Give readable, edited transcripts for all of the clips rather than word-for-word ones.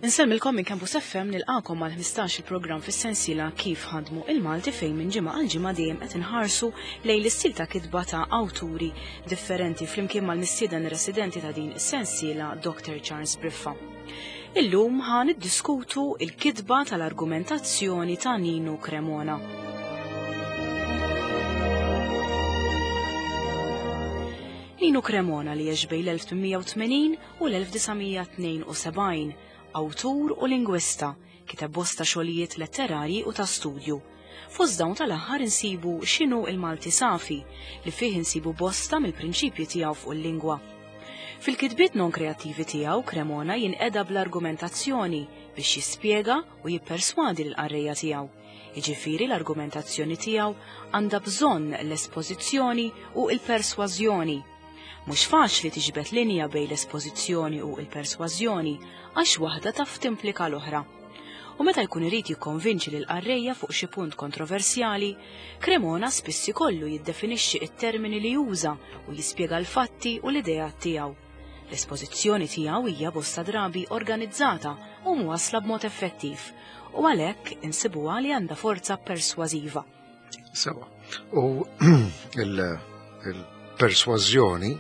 Insellmilkom minn Campus FM nilqakom għal 15 il-programm fis-sensiela Kif ħadmu il-Malti fejn minn ġimgħa għal ġimgħa dejjem qed inħarsu lejn l-istil ta' kitba ta' awturi differenti flimkien mal-mistieden residenti ta' din is-sensiela Dr. Charles Briffa. Illum ħa niddiskutu il-kitba tal-argumentazzjoni ta' Ninu Cremona. Ninu Cremona li għex bejn l-1880 u l-1972, awtur u lingwista, kiteb bosta xogħlijiet letterarji u ta' studju. Fost dawn tal-aħħar insibu X'inhu l-Malti Safi, li fih insibu bosta mill-prinċipji tiegħu fuq il-lingwa. Fil-kitbiet non-kreattivi tiegħu, Cremona jinqeda bl-argumentazzjoni biex jispjega u jipperswadi lill-qarrejja tiegħu. Jiġifieri l-argumentazzjoni tiegħu għandha bżonn l-espożizzjoni u l-persważjoni. Mhux faċli tiġbed linja bejn l-espożizzjoni u l-persważjoni għax waħda taf timplika l-oħra. U meta jkun irid jikkonvinċi lill-qarrejja fuq xi punt kontroversjali, Cremona spiss ikollu jiddefinixxi t-termini li juża u jispjega l-fatti u l-ideat tiegħu. L-espożizzjoni tiegħu hija bosta drabi organizzata u mwassla b'mod effettiv u għalhekk insibuha li għandha forza persważiva. Sewa. U il-persważjoni,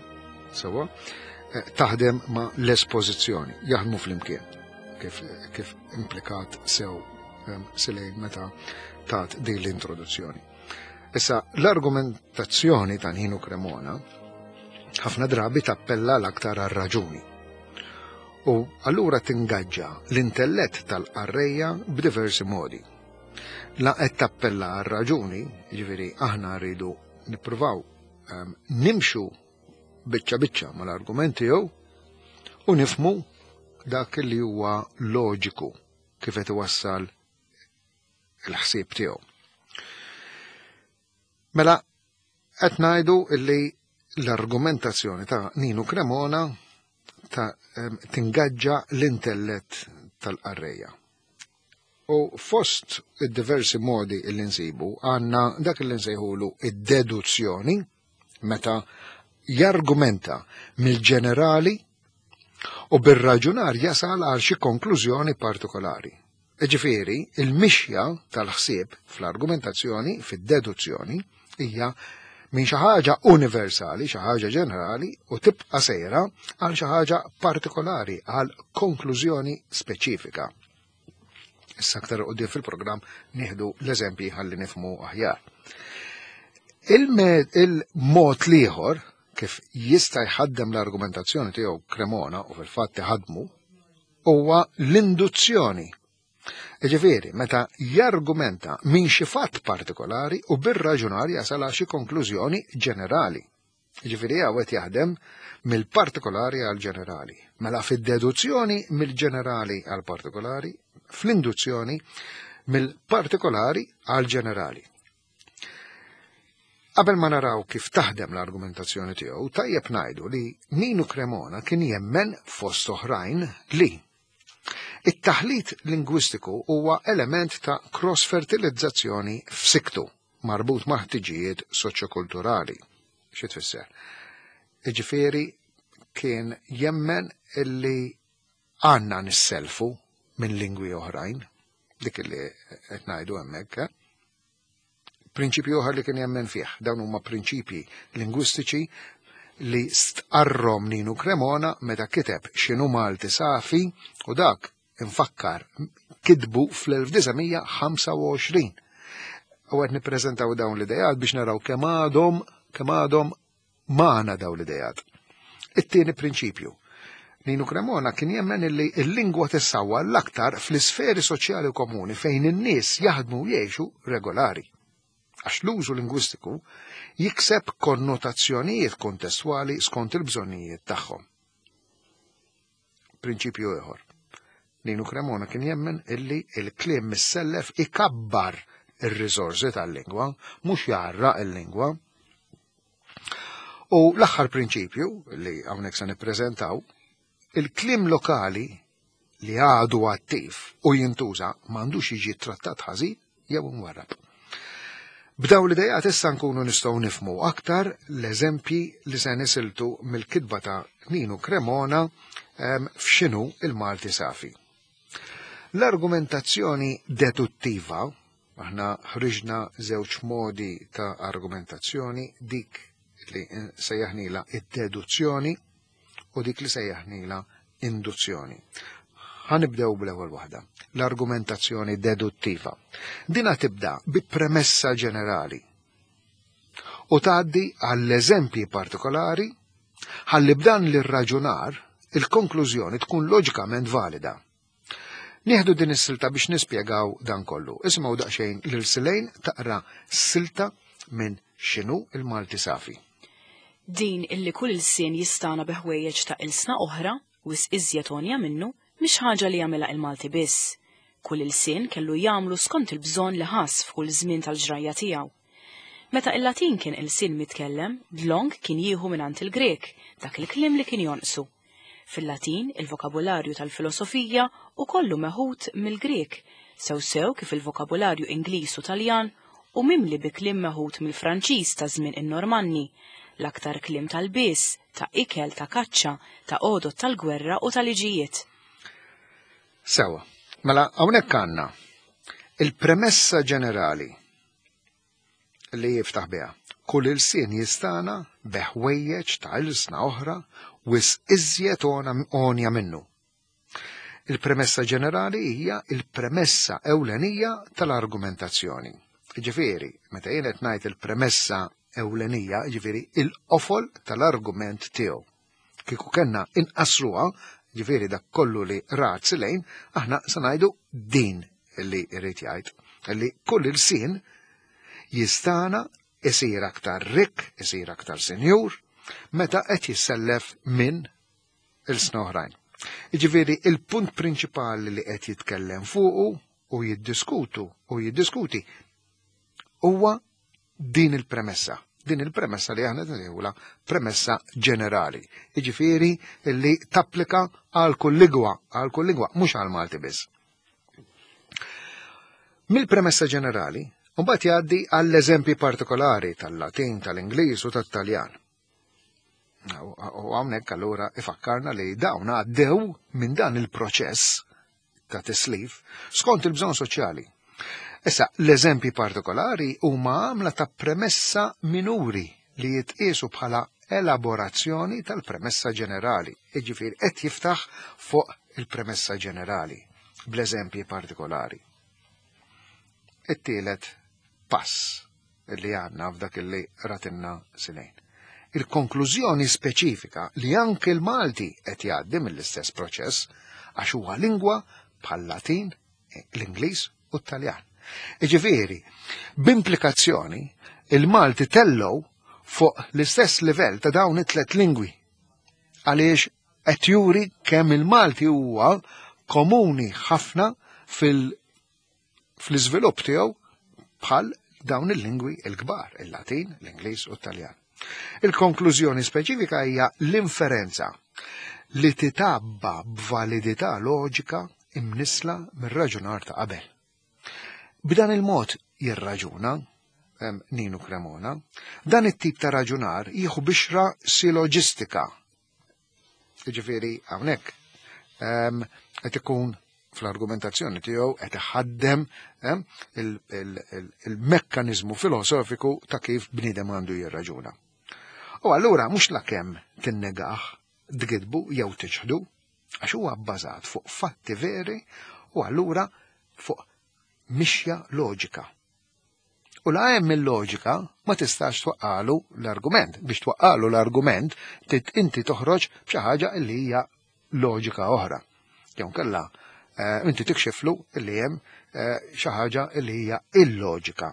sewa, eh, taħdem ma l-espożizzjoni, jaħdmu fl-imkien, kif, kif implikat sew ehm, silejn meta tat din l-introduzzjoni. Issa, l-argumentazzjoni ta' Nino Cremona ħafna drabi tappella l-aktar għar-raġuni. U allura tingaġġa l-intellett tal-qarrejja b'diversi modi. La qed tappella għar-raġuni, jiġifieri aħna rridu nippruvaw ehm, nimxu biċċa biċċa mal-argument tiegħu u nifmu dak li huwa loġiku kif qed iwassal il-ħsieb tiegħu. Mela qed ngħidu li l-argumentazzjoni ta' Ninu Cremona ta' ehm, tingaġġa l-intellett tal-qarrejja. U fost id-diversi modi li nsibu għandna dak li nsejħulu id-deduzzjoni meta jargumenta mill-ġenerali u bir-raġunar jasal għal xi konklużjoni partikolari. Ġifieri, il-mixja tal-ħsieb fl-argumentazzjoni, fid-deduzzjoni, hija minn xi ħaġa universali, xi ħaġa ġenerali, u tibqa' sejra għal xi ħaġa partikolari, għal konklużjoni speċifika. Issa aktar qudiem fil-programm nieħdu l-eżempji ħalli nifmu aħjar. Il-mod liħor kif jista' jħaddem l-argumentazzjoni tiegħu Cremona u fil-fatt iħaddmu huwa l-induzzjoni. Ġifieri, meta jargumenta minn xi fatt partikolari u bir-raġunar jasal għal xi konklużjoni ġenerali. Ġifieri hawn qed jaħdem mill-partikolari għal ġenerali. Mela fid-deduzzjoni mill-ġenerali għal partikolari, fl-induzzjoni mill-partikolari għal ġenerali. Qabel ma naraw kif taħdem l-argumentazzjoni tiegħu, tajjeb ngħidu li Ninu Cremona kien jemmen fost oħrajn li it-taħlit lingwistiku huwa element ta' cross-fertilizzazzjoni f'siktu marbut ma' ħtiġijiet soċjokulturali. Xi tfisser? Iġifieri kien jemmen illi għandna nisselfu minn lingwi oħrajn, dik li qed ngħidu hemmhekk. Eh? Prinċipju oħra li kien jemmen fih, dawn huma prinċipji lingwistiċi li stqarrom Ninu Cremona meta kiteb x'inhu Malti Safi u dak infakkar kitbu fl-1925. U qed nippreżentaw dawn l-idejat biex naraw kemm għadhom kemm għadhom magħna dawn l-idejat. It-tieni prinċipju. Ninu Cremona kien jemmen illi l-lingwa tissawwa l-aktar fl-isferi soċjali u komuni fejn in-nies jaħdmu u jgħixu regolari. Għax l-użu lingwistiku jikseb konnotazzjonijiet kontestwali skont il-bżonnijiet tagħhom. Prinċipju ieħor. Ninu Cremona kien jemmen illi il-kliem missellef ikabbar ir-riżorsi tal-lingwa, mhux jgħarraq il-lingwa. U l-aħħar prinċipju li hawnhekk se nippreżentaw, il-kliem lokali li għadu attiv u jintuża m'għandux jiġi trattat ħażin jew imwarrab. B'dawn l-idejat issa nkunu nistgħu nifmu aktar l-eżempji li se nisiltu mill-kitba ta' Ninu Cremona ehm, f'xinu il-Malti Safi. L-argumentazzjoni deduttiva, aħna ħriġna żewġ modi ta' argumentazzjoni, dik li sejjaħnila id-deduzzjoni u dik li sejjaħnila induzzjoni. Ħanibdew bl-ewwel waħda, l-argumentazzjoni deduttiva. Dina tibda bi premessa ġenerali u tgħaddi għall-eżempji partikolari ħalli b'dan l-irraġunar il-konklużjoni tkun loġikament valida. Nieħdu din is-silta biex nispjegaw dan kollu. Isimgħu daqsxejn lil Silejn taqra silta minn X'inhu il-Malti Safi. Din illi kull ilsien jistagħna bi ħwejjeġ ta' ilsna oħra, wisq iżjed għonja minnu, mhix ħaġa li jagħmilha il-Malti biss. Kull ilsien kellu jagħmlu skont il-bżonn li ħass f'kull żmien tal-ġrajja tiegħu. Meta il-Latin kien ilsien mitkellem, dlonk kien jieħu mingħand il-Grieg dak il-kliem li kien jonqsu. Fil-Latin, il-vokabularju tal-filosofija hu kollu meħud mill-Grieg, sew sew kif il-vokabularju Ingliż u Taljan hu mimli bi kliem meħud mill-Franċiż ta' żmien in-Normanni, l-aktar kliem ta' lbies, ta' ikel, ta' kaċċa, ta' għodod tal-gwerra u ta' liġijiet. Sewwa, mela hawnhekk għandna il-premessa ġenerali li jiftaħ biha. Kull ilsien jistana bi ħwejjeġ ta' ilsna oħra wisq iżjed għonja minnu. Il-premessa ġenerali hija il-premessa ewlenija tal-argumentazzjoni. Ġifieri, meta jien qed ngħid il-premessa ewlenija, ġifieri il-qofol tal-argument tiegħu. Kieku kellna inqasruha, ġifieri dak kollu li rat silejn, aħna se ngħidu din li jrid jgħid, li kull ilsien jistana isir aktar rikk, isir aktar sinjur, meta qed jissellef minn ilsna oħrajn. Jiġifieri il-punt prinċipali li qed jitkellem fuqu u jiddiskutu u jiddiskuti huwa din il-premessa. Din il-premessa li aħna nsejħulha premessa ġenerali. Jiġifieri li tapplika għal kull lingwa, għal kull lingwa, mhux għal Malti biss. Mill-premessa ġenerali, mbagħad jgħaddi għall-eżempji partikolari tal-Latin, tal-Ingliż u tat-Taljan. U hawnhekk allura ifakkarna li dawn għaddew minn dan il-proċess ta' tislif skont il-bżonn soċjali. Issa, l-eżempji partikolari huma għamla ta' premessa minuri li jitqiesu bħala elaborazzjoni tal-premessa ġenerali, jiġifieri qed jiftaħ fuq il-premessa ġenerali bl-eżempji partikolari. It-tielet pass li għandna f'dak li ratinna Silejn. Il-konklużjoni speċifika li anke l-Malti qed jgħaddi mill-istess proċess għax huwa lingwa bħal-Latin, l-Ingliż u t-Taljan. Iġifieri, b'implikazzjoni, il-Malti tellow fuq l-istess livell ta' dawn it-tlet lingwi għaliex qed juri kemm il-Malti huwa komuni ħafna fil- fl-iżvilupp tiegħu bħal dawn il-lingwi l-kbar, il-Latin, l-Ingliż u t-Taljan. Il-konklużjoni speċifika hija l-inferenza li titabba b'validità loġika imnisla mir-raġunar ta' qabel. B'dan il-mod jirraġuna Ninu Cremona, dan it-tip ta' raġunar jieħu bixra siloġistika. Jiġifieri hawnhekk qed ikun fl-argumentazzjoni tiegħu qed iħaddem il-mekkaniżmu filosofiku ta' kif bniedem għandu jirraġuna. U allura mhux lakemm tinnegah, tgidbu jew tiċħdu, għax huwa bbażat fuq fatti veri u allura fuq mixja loġika. U la hemm il-loġika ma tistax twaqqalu l-argument. Biex twaqqalu l-argument trid inti toħroġ b'xi ħaġa li hija loġika oħra. Jew kella eh, inti tikxiflu li hemm eh, xi ħaġa li hija illoġika.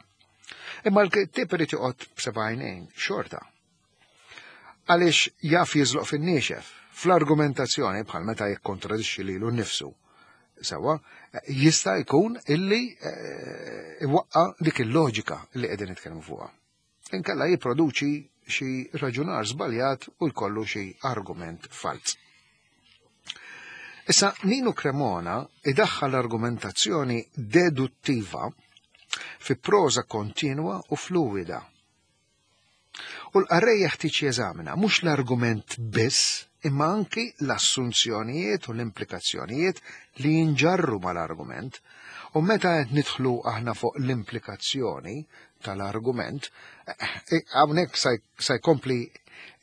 Imma l-kittib irid joqgħod b'sebgħinejn xorta. Għaliex jaf jiżloq fin-niexef, fl-argumentazzjoni bħal meta jikkontradixxi lilu nnifsu. Sewwa, jista' jkun illi eh, iwaqqa dik il-loġika li qegħdin nitkellmu fuqha. Inkella jipproduċi xi raġunar żbaljat u jkollu xi argument falz. Issa Nino Cremona idaħħal argumentazzjoni deduttiva fi proża kontinwa u fluwida. U l-qarrej jeħtieġ jeżamina mhux l-argument biss, imma anki l-assunzjonijiet u l-implikazzjonijiet li jinġarru mal-argument. U meta qed nidħlu aħna fuq l-implikazzjoni tal-argument, hawnhekk sa jkompli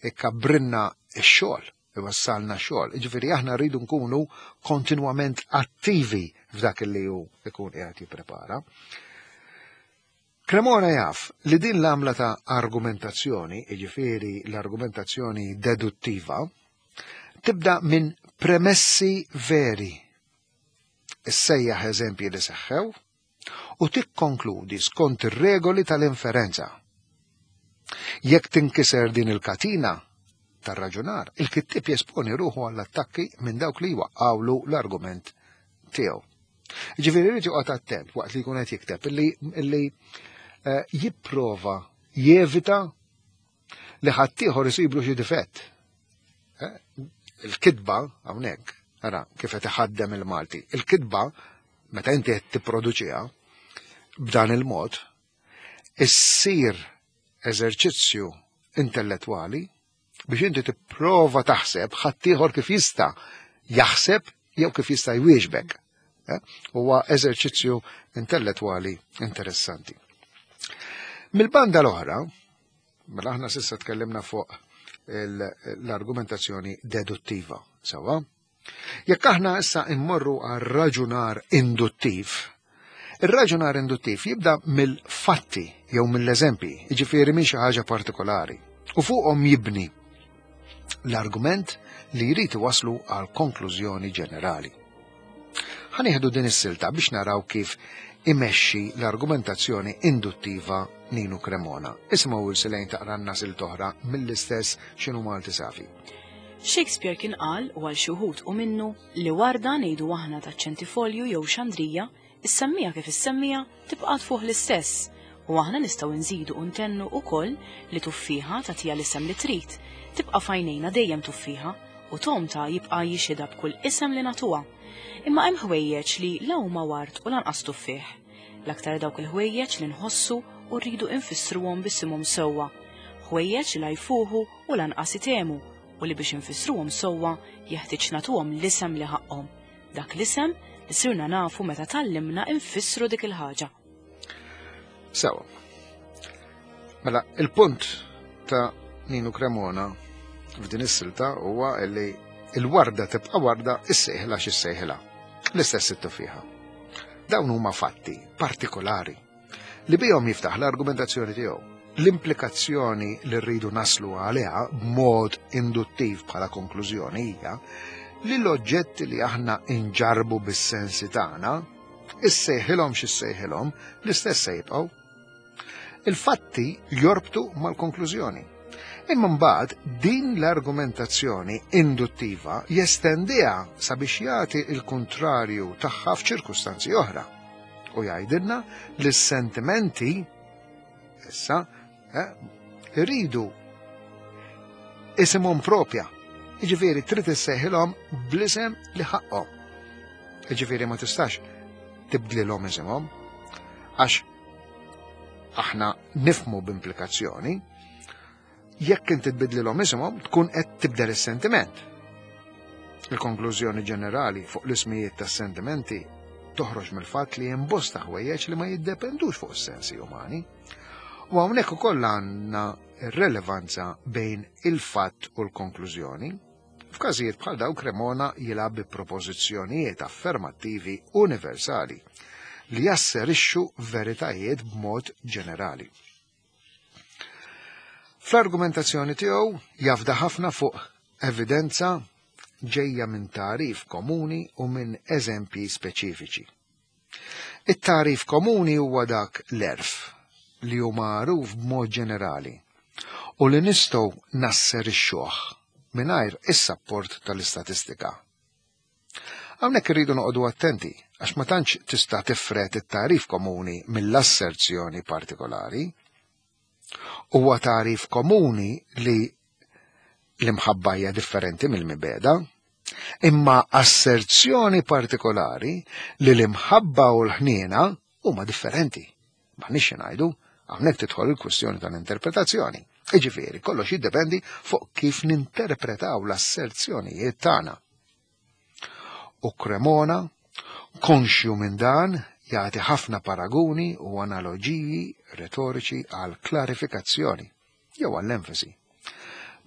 ikkabrinna x-xogħol, iwassalna xogħol. Jiġifieri aħna rridu nkunu kontinwament attivi f'dak li hu ikun qiegħed jipprepara. Cremona jaf li din l-għamla ta' argumentazzjoni, jiġifieri l-argumentazzjoni deduttiva, tibda minn premessi veri. Issejjaħ eżempji li seħħew u tikkonkludi skont ir-regoli tal-inferenza. Jekk tinkiser din il-katina tar-raġunar, il-kittieb jesponi ruħu għall-attakki minn dawk li jwaqqgħulu l-argument tiegħu. Ġifieri jrid joqgħod attent waqt li jkun qed jikteb illi jipprova jevita li ħaddieħor isiblu xi difett. Il-kitba hawnhekk, ara kif qed iħaddem il-Malti. Il-kitba meta inti qed tipproduċiha b'dan il-mod issir eżerċizzju intellettwali biex inti tipprova taħseb ħaddieħor kif jista' jaħseb jew kif jista' jwieġbek. Huwa eżerċizzju intellettwali interessanti. Mill-banda l-oħra, mela aħna s'issa tkellimna fuq l-argumentazzjoni deduttiva, sewwa? Jekk aħna issa immorru għal raġunar induttiv, ir-raġunar induttiv jibda mill-fatti jew mill-eżempji, jiġifieri minn xi ħaġa partikolari, u fuqhom jibni l-argument li jrid iwasslu għal konklużjoni ġenerali. Ħa nieħdu din is-silta biex naraw kif imexxi l-argumentazzjoni induttiva Ninu Cremona. Isimgħu Ursilejn taqranna silta oħra mill-istess X'inhu Malti Safi. Shakespeare kien qal, u għal xi wħud u minnu, li warda ngħidu aħna ta' ċentifolju jew xandrija, issemmija kif issemmija, tibqa' tfuħ l-istess. U aħna nistgħu nżidu u ntennu wkoll li tuffieħa tagħtiha l-isem li trid, tibqa' f'għajnejna dejjem tuffieħa, u togħmtha jibqa' jixhidha b'kull isem li nagħtuha. Imma hemm ħwejjeġ li la huma ward u lanqas tuffieħ. L-aktar dawk il-ħwejjeġ li nħossu u rridu infissruhom b'isimhom sewwa. Ħwejjeġ li la jfuħu u lanqas itemu u li biex infissruhom sewwa jeħtieġ nagħtuhom l-isem li ħaqqhom. Dak l-isem li sirna nafu meta tgħallimna infissru dik il-ħaġa. Sewa. Mela, il-punt ta' Ninu Cremona f'din is-silta huwa li il-warda tibqa' warda issejħilha x'issejħilha. L-istess it-tuffieħa. Dawn huma fatti partikolari li bihom jiftaħ l-argumentazzjoni tiegħu. L-implikazzjoni li rridu naslu għaliha b'mod induttiv bħala konklużjoni hija li l-oġġetti li aħna inġarbu bis-sensi tagħna, issejħilhom x'issejħilhom, l-istess se jibqgħu. Il-fatti jorbtu mal-konklużjoni. Imma mbagħad din l-argumentazzjoni induttiva jestendiha sabiex jagħti l-kuntrarju tagħha f'ċirkustanzi oħra. U jgħidilna li s-sentimenti issa iridu isimhom propja. Jiġifieri trid issejħilhom bl-isem li ħaqqhom. Jiġifieri ma tistax tibdlilhom isimhom għax aħna nifmu b'implikazzjoni jekk inti tbidlilhom isimhom tkun qed tibdel is-sentiment. Il-konklużjoni ġenerali fuq l-ismijiet tas-sentimenti toħroġ mill-fatt li hemm bosta ħwejjeġ li ma jiddependux fuq is-sensi umani. U hawnhekk ukoll għandna r-relevanza bejn il-fatt u l-konklużjoni. F'każijiet bħal dawn Cremona jilgħab bi propożizzjonijiet affermattivi universali li jasserixxu veritajiet b'mod ġenerali. Fl-argumentazzjoni tiegħu jafda ħafna fuq evidenza ġejja minn tagħrif komuni u minn eżempji speċifiċi. It-tagħrif komuni huwa dak l-għerf li hu magħruf b'mod ġenerali u li nistgħu nasserixxuh mingħajr is-sapport tal-istatistika. Hawnhekk irridu noqogħdu attenti għax ma tantx tista' tifred it-tagħrif komuni mill-asserzjoni partikolari. Huwa tagħrif komuni li l-imħabba hija differenti mill-mibegħda, imma asserzjoni partikolari li l-imħabba u l-ħniena huma differenti. M'għandniex xi ngħidu, hawnhekk tidħol il-kwistjoni tal-interpretazzjoni. Iġifieri, kollox jiddependi fuq kif ninterpretaw l-asserzjonijiet tagħna. U Cremona, konxju minn dan, jagħti ħafna paraguni u analoġiji retoriċi għal klarifikazzjoni jew għall-enfasi.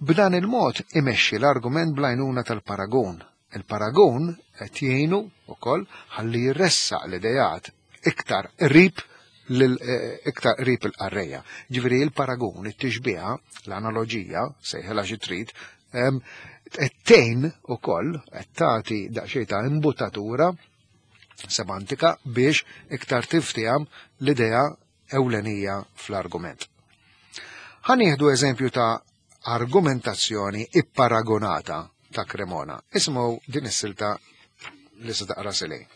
B'dan il-mod imexxi l-argument bl-għajnuna tal-paragun. Il-paragun qed jgħinu wkoll ħalli jressaq l-idejat iktar qrib eh, iktar qrib il-qarrejja. Ġifieri il-paragun, it-tixbiha, l-analoġija, sejħilha xi trid, qed tgħin ukoll qed tagħti daqsxejn ta' imbutatura semantika biex iktar tiftiham l-idea ewlenija fl-argument. Ħa nieħdu eżempju ta' argumentazzjoni ipparagonata ta' Cremona. Ismu din is-silta li se taqra Silej.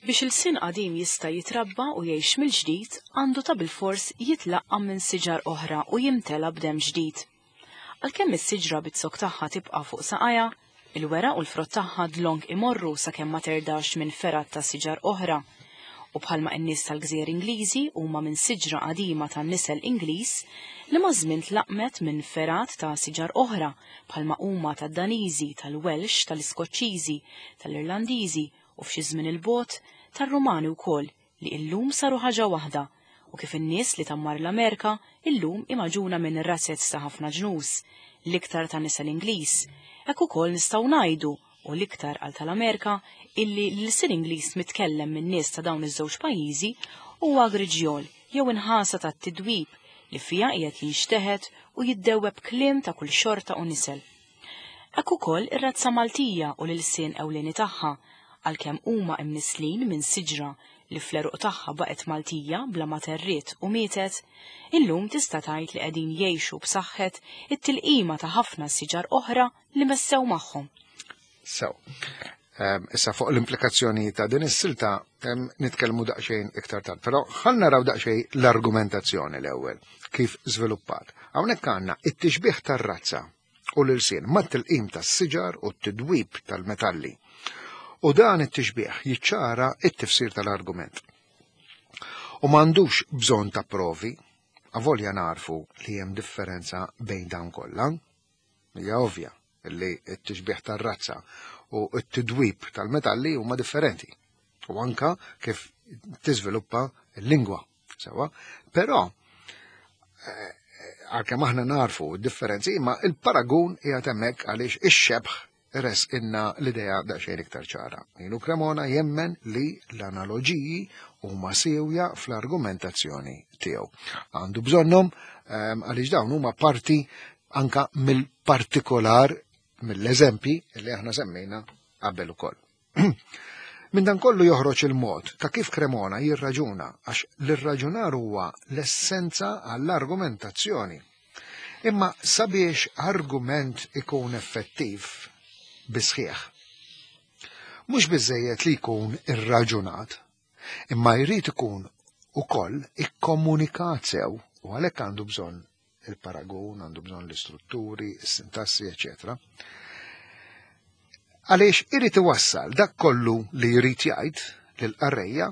Biex ilsien qadim jista' jitrabba u jgħix mill-ġdid, għandu ta' bilfors jitlaqqam minn siġar oħra u jimtela b'demm ġdid. Għalkemm is-siġra biz-zokk tagħha tibqa' fuq saqajha, il-weraq u l-frott tagħha dlonk imorru sakemm ma terdax minn fergħat ta' siġar oħra. U bħalma n-nies tal-gżejjer Ingliżi huma minn siġra qadima tan-nisel Ingliż li maż-żmien tlaqqmet minn fergħat ta' siġar oħra bħalma huma tad-Daniżi, tal-Welsh, tal-Iskoċċiżi, tal-Irlandiżi u f'xi żmien 'il bogħod tar-Rumani wkoll li illum saru ħaġa waħda u kif in-nies li tgħammar l-Amerika illum hi magħġuna minn razez ta' ħafna ġnus, l-iktar ta' nisel Ingliż, hekk ukoll nistgħu ngħidu, u l-iktar għal tal-Amerika, illi l-ilsien Ingliż mitkellem min-nies ta' dawn iż-żewġ pajjiżi huwa griġjol jew inħasa tat-tidwib li fiha qiegħed jinxteħet u jiddewweb kliem ta' kull xorta u nisel. Hekk ukoll ir-razza Maltija u l-ilsien ewlieni tagħha, għalkemm huma imnisslin minn siġra li fl-għeruq tagħha baqgħet Maltija bla ma terriet u mietet, illum tista' tgħid li qegħdin jgħixu b'saħħet it-tilqima ta' ħafna siġar oħra li messew magħhom. Sew. Issa fuq l-implikazzjoni ta' din is-silta nitkellmu daqsxejn iktar tard, però ħa naraw daqsxejn l-argumentazzjoni l-ewwel kif żviluppat. Hawnhekk għandna it-tixbih tar-razza u l-ilsien mat-tilqim tas-siġar u t-tidwib tal-metalli. U dan it-tixbih jiċċara it-tifsir tal-argument. U m'għandux bżonn ta' provi, avolja narfu li hemm differenza bejn dawn kollha. Hija ovvja li t-tixbih tar-razza u t-tidwib tal-metalli huma differenti. U anka kif tiżviluppa l-lingwa. Sewa, però eh, għalkemm aħna narfu d-differenzi, imma il-paragun qiegħed hemmhekk għaliex ix-xebħ res inna l-idea daqsxejn iktar ċara. Ninu Cremona jemmen li l-analoġiji huma siewja fl-argumentazzjoni tiegħu. Għandu bżonnhom ehm, għaliex dawn huma parti anka mill-partikolar mill-eżempji li aħna semmejna qabel ukoll. Minn dan kollu joħroġ il-mod ta' kif Cremona jirraġuna għax l-irraġunar huwa l-essenza għall-argumentazzjoni. Imma sabiex argument ikun effettiv bisħieħ, mhux biżejjed li jkun irraġunat, imma jrid ikun ukoll ikkomunikat sew u għalhekk għandu bżonn il-paragun, għandu bżonn l-istrutturi, is-sintassi, eċetera. Għaliex irid iwassal dak kollu li jrid jgħid lill-qarrejja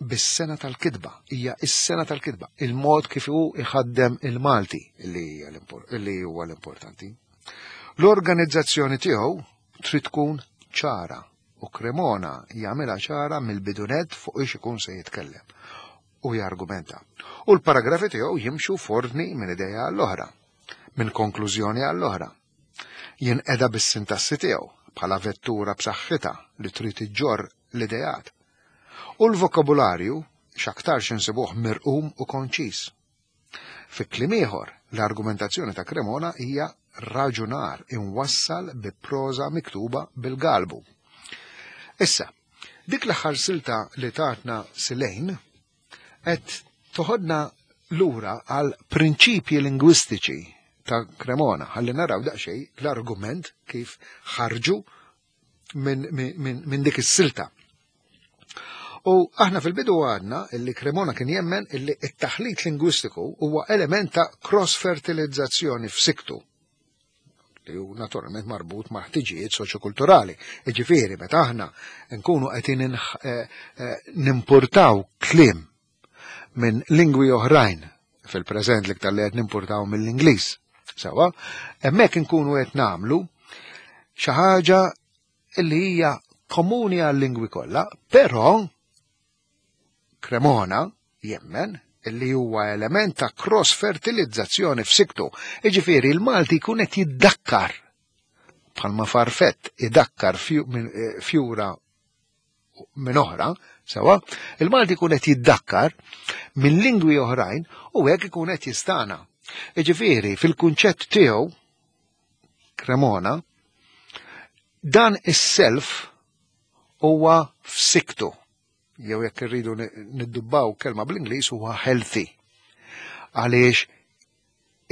bis-sena tal-kitba, hija is-sena tal-kitba, il-mod kif hu iħaddem il-Malti li huwa l-importanti. L-organizzazzjoni tiegħu trid tkun ċara u Cremona jagħmilha ċara mill-bidunet fuq ix ikun se jitkellem u jargumenta. U l-paragrafi tiegħu jimxu f'ordni minn idea għall-oħra, minn konklużjoni għall-oħra. Jinqeda bis-sintassi tiegħu bħala vettura b'saħħitha li trid iġġorr l-ideat. U l-vokabularju x'aktarx insibuh mirqum u konċiż. Fi kliem ieħor, l-argumentazzjoni ta' Cremona hija raġunar imwassal bi proża miktuba bil-galbu. Issa, dik l-aħħar silta li tatna Silejn qed toħodna lura għal prinċipji lingwistiċi ta' Cremona, ħalli naraw daqsxejn l-argument kif ħarġu minn min, min dik is-silta. U aħna fil-bidu għadna illi Cremona kien jemmen illi it-taħlit lingwistiku huwa element ta' cross-fertilizzazzjoni f'siktu li hu naturalment marbut ma' ħtiġijiet soċjokulturali. Iġifieri meta aħna nkunu qegħdin eh, eh, nimpurtaw kliem minn lingwi oħrajn. Fil-preżent l-iktar li qed nimpurtaw mill-Ingliż. Sewa, hemmhekk inkunu qed nagħmlu xi ħaġa li hija komuni għal-lingwi kollha, però Cremona jemmen li huwa element ta' cross-fertilizzazzjoni f'siktu. Iġifieri l-Malti jkun qed jiddakkar bħalma farfett idakkar fjura minn oħra, sewa, il-Malti jkun qed jiddakkar minn lingwi oħrajn u hekk ikun qed jistana. Iġifieri fil-kunċett tiegħu Cremona, dan is-self huwa f'siktu, jew jekk irridu niddubbaw kelma bl-Ingliż huwa healthy. Għaliex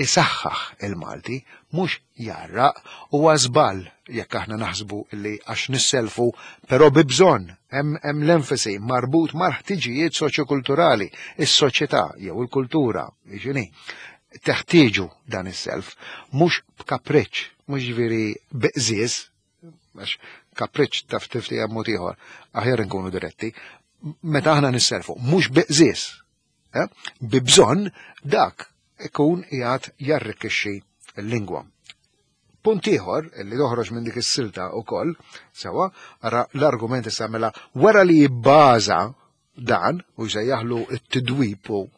isaħħaħ il-Malti, mhux jarraq, huwa żball jekk aħna naħsbu li għax nisselfu, però bi bżonn, hemm l-enfasi marbut mal-ħtiġijiet soċjokulturali, is-soċjetà jew il-kultura, jiġini, teħtieġu dan is-self, mhux b'kapriċċ, mhux ġifieri biqżież, għax kapriċċ taf tifti hemm mod ieħor, aħjar inkunu diretti, meta aħna nisselfu, mhux biqżież, bi bżonn dak ikun qiegħed jarrikkixxi l-lingwa. Punt ieħor li toħroġ minn dik is-silta wkoll, sewa, ara l-argument issa mela wara li jibbaża dan u jsejjaħlu t-tidwib u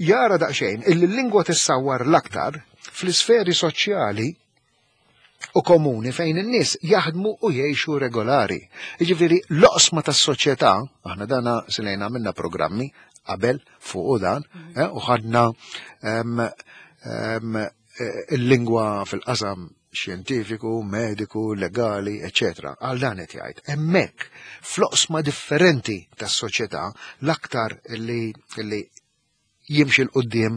jara daqsxejn illi l-lingwa tissawwar l-aktar fl-isferi soċjali u komuni fejn in-nies jaħdmu u jgħixu regolari. Jiġifieri l-oqsma tas-soċjetà, aħna dana silejna minna programmi qabel fuq dan, u ħadna il-lingwa fil-qasam xjentifiku, mediku, legali, eċetera. Għal dan qed jgħid. Hemmhekk fl-oqsma differenti tas-soċjetà l-aktar li jimxi 'l quddiem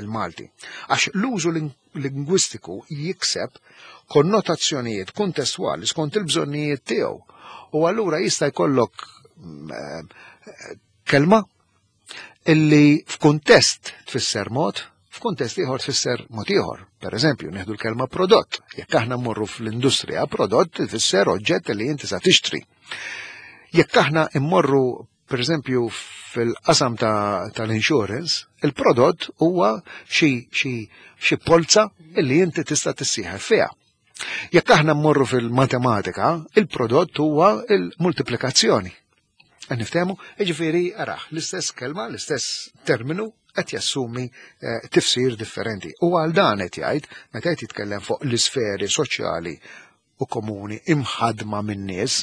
il-Malti. Għax l-użu lingwistiku jikseb konnotazzjonijiet kuntestwali skont il-bżonnijiet tiegħu. U allura jista' jkollok kelma illi f'kuntest tfisser mod, f'kuntest ieħor tfisser mod ieħor. Per eżempju, nieħdu l-kelma prodott. Jekk aħna mmorru fl-industrija, prodott tfisser oġġett li inti sa tixtri. Jekk aħna mmorru per eżempju fil-qasam tal-insurance, il-prodott huwa xi polza illi inti tista' tissieħeb fiha. Jekk aħna mmorru fil-matematika, il-prodott huwa il-multiplikazzjoni. Niftehmu, jiġifieri araħ, l-istess kelma, l-istess terminu qed jassumi tifsir differenti. U għal dan qed jgħid, meta qed jitkellem fuq l-isferi soċjali u komuni imħadma min-nies,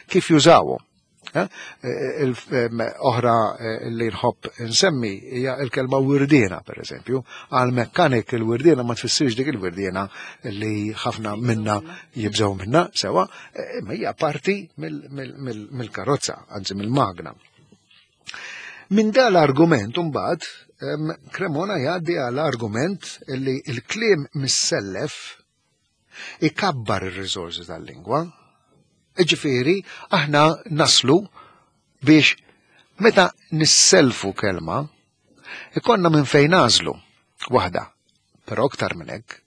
kif jużawhom. Oħra li nħobb nsemmi hija l-kelma wirdiena, per eżempju. Għal mekkanik il-wirdiena ma tfissirx dik il-wirdiena li ħafna minna jibżgħu minna, sewa, imma hija parti mill-karozza, anzi mill-magna. Minn dan l-argument imbagħad Cremona jgħaddi għal argument li l-kliem missellef ikabbar ir-riżorsi tal-lingwa. Ġifieri, aħna naslu biex meta nisselfu kelma, ikonna minn fejn nażlu waħda, però aktar minn hekk,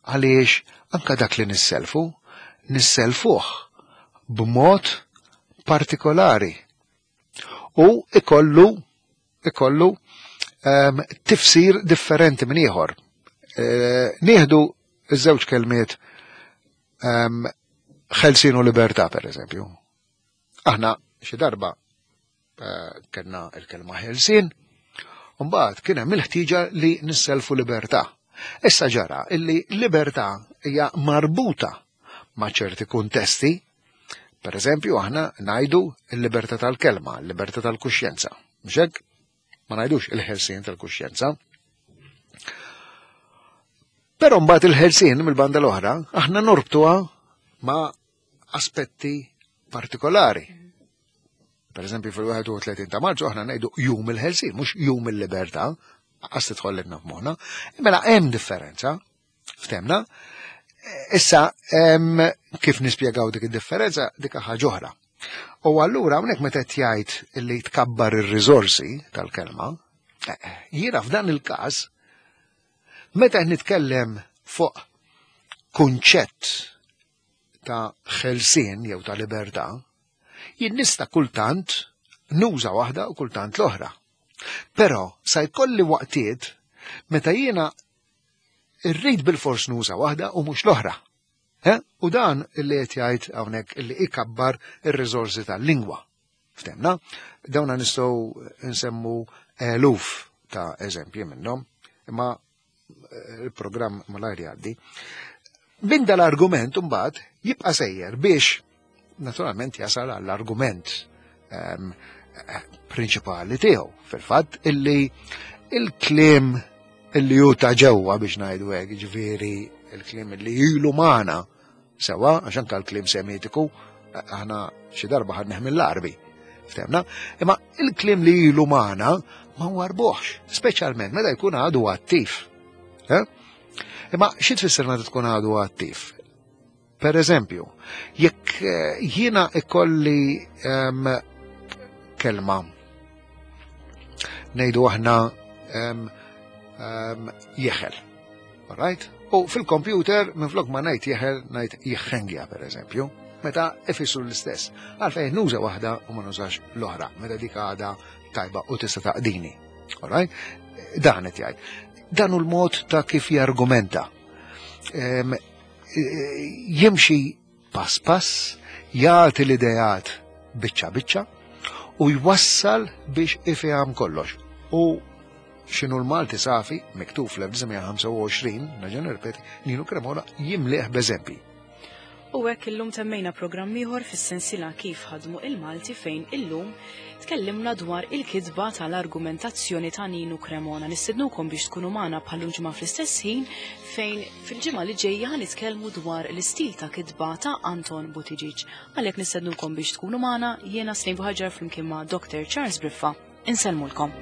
għaliex anka dak li nisselfu, nisselfuh b'mod partikolari u ikollu tifsir differenti minn ieħor. Nieħdu iż-żewġ kelmiet ħelsien u libertà, per eżempju. Aħna xi darba kellna l-kelma ħelsien, u mbagħad kien hemm il-ħtieġa li nisselfu libertà. Issa ġara illi libertà hija marbuta ma' ċerti kuntesti. Per eżempju, aħna ngħidu l-libertà tal-kelma, l-libertà tal-kuxjenza. Mhux hekk? Ma ngħidux il-ħelsien tal-kuxjenza. Però mbagħad il-ħelsien mill-banda l-oħra aħna norbtuha ma' aspetti partikolari. Per eżempju, fil-31 ta' Marzu aħna ngħidu jum il-ħelsien, mhux jum il-libertà, għas tidħol f'moħħna. Mela hemm differenza, ftemna. Issa, kif nispjegaw dik id-differenza, dik ħaġa oħra. U allura hawnhekk meta qed jgħid li tkabbar ir-riżorsi tal-kelma, jiena f'dan il-każ meta qed nitkellem fuq kunċett ta' ħelsien jew ta' libertà, jien nista' kultant nuża waħda u kultant l-oħra. Però sa jkolli waqtiet meta jiena rrid bil-fors nuża waħda u mhux l-oħra. Eh? U dan li qed jgħid hawnhekk li ikabbar ir-riżorsi tal-lingwa. Ftemna? Dawna nistgħu nsemmu eluf ta' eżempji minnhom, imma eh, il-programm malajr jgħaddi. Minn dal-argument mbagħad jibqa' sejjer biex naturalment jasal għall-argument ehm, prinċipali tiegħu fil-fatt illi il-kliem illi hu ta' ġewwa biex ngħidu hekk, ġifieri il-kliem illi ilu magħna sewa għax anke l-kliem semitiku aħna xi darba ħadnih mill-Arbi. Ftemna? Imma il-kliem li ilu magħna ma warbuħx, speċjalment meta jkun għadu attiv. Eh? Imma xi tfisser meta tkun għadu attiv? Per eżempju, jekk eh, jiena ikolli um, kelma ngħidu aħna um, um, jeħel. Right? U fil-kompjuter minflok ma ngħid jeħel ngħid jeħengja per eżempju, meta ifissru l-istess. Għalfejn nuża waħda u ma nużax l-oħra, meta dik għada tajba u tista' taqdini. Alright? Dan qed jgħid. Dan hu l-mod ta' kif jargumenta. Jimxi pass pass, jagħti l-ideat biċċa biċċa u jwassal biex ifeham kollox. U x'inhu l-Malti safi, miktub fl-1925, nerġa' nirrepeti, Ninu Cremona jimlieh b'eżempji. U hekk illum temmejna programm ieħor fis-sensiela Kif Ħadmu il-Malti fejn illum tkellimna dwar il-kitba tal-argumentazzjoni ta' Ninu Cremona. Nistednukom biex tkunu magħna bħal ġimgħa fl-istess ħin fejn fil-ġimgħa li ġejja ħa nitkellmu dwar l-istil ta' kitba ta' Anton Buttigieg. Għalhekk nistednukom biex tkunu magħna jiena Slim Buhaġar flimkien ma' Dr. Charles Briffa. Insellmulkom.